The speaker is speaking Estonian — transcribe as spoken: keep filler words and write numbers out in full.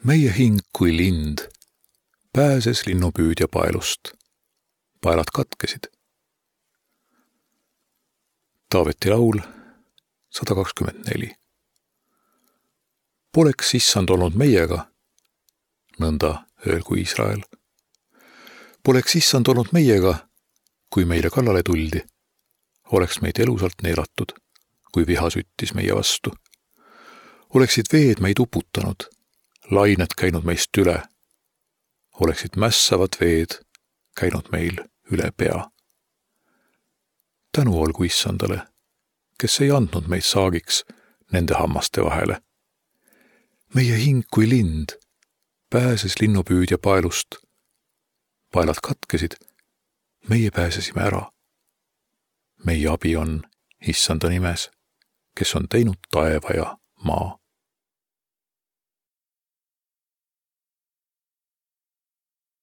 Meie hing kui lind pääses linnupüüdja paelust. Paelad katkesid. Taaveti laul sada kakskümmend neli. Poleks issand olnud meiega, nõnda öelgu Iisrael. Poleks issand olnud meiega, kui meile kallale tuldi, oleks meid elusalt neelatud, kui viha süttis meie vastu. Oleksid veed meid uputanud, lained käinud meist üle, oleksid mässavad veed käinud meil üle pea. Tänu olgu issandale, kes ei andnud meid saagiks nende hammaste vahele. Meie hing kui lind pääses linnupüüdja paelust. Paelad katkesid, meie pääsesime ära. Meie abi on issanda nimes, kes on teinud taeva ja maa.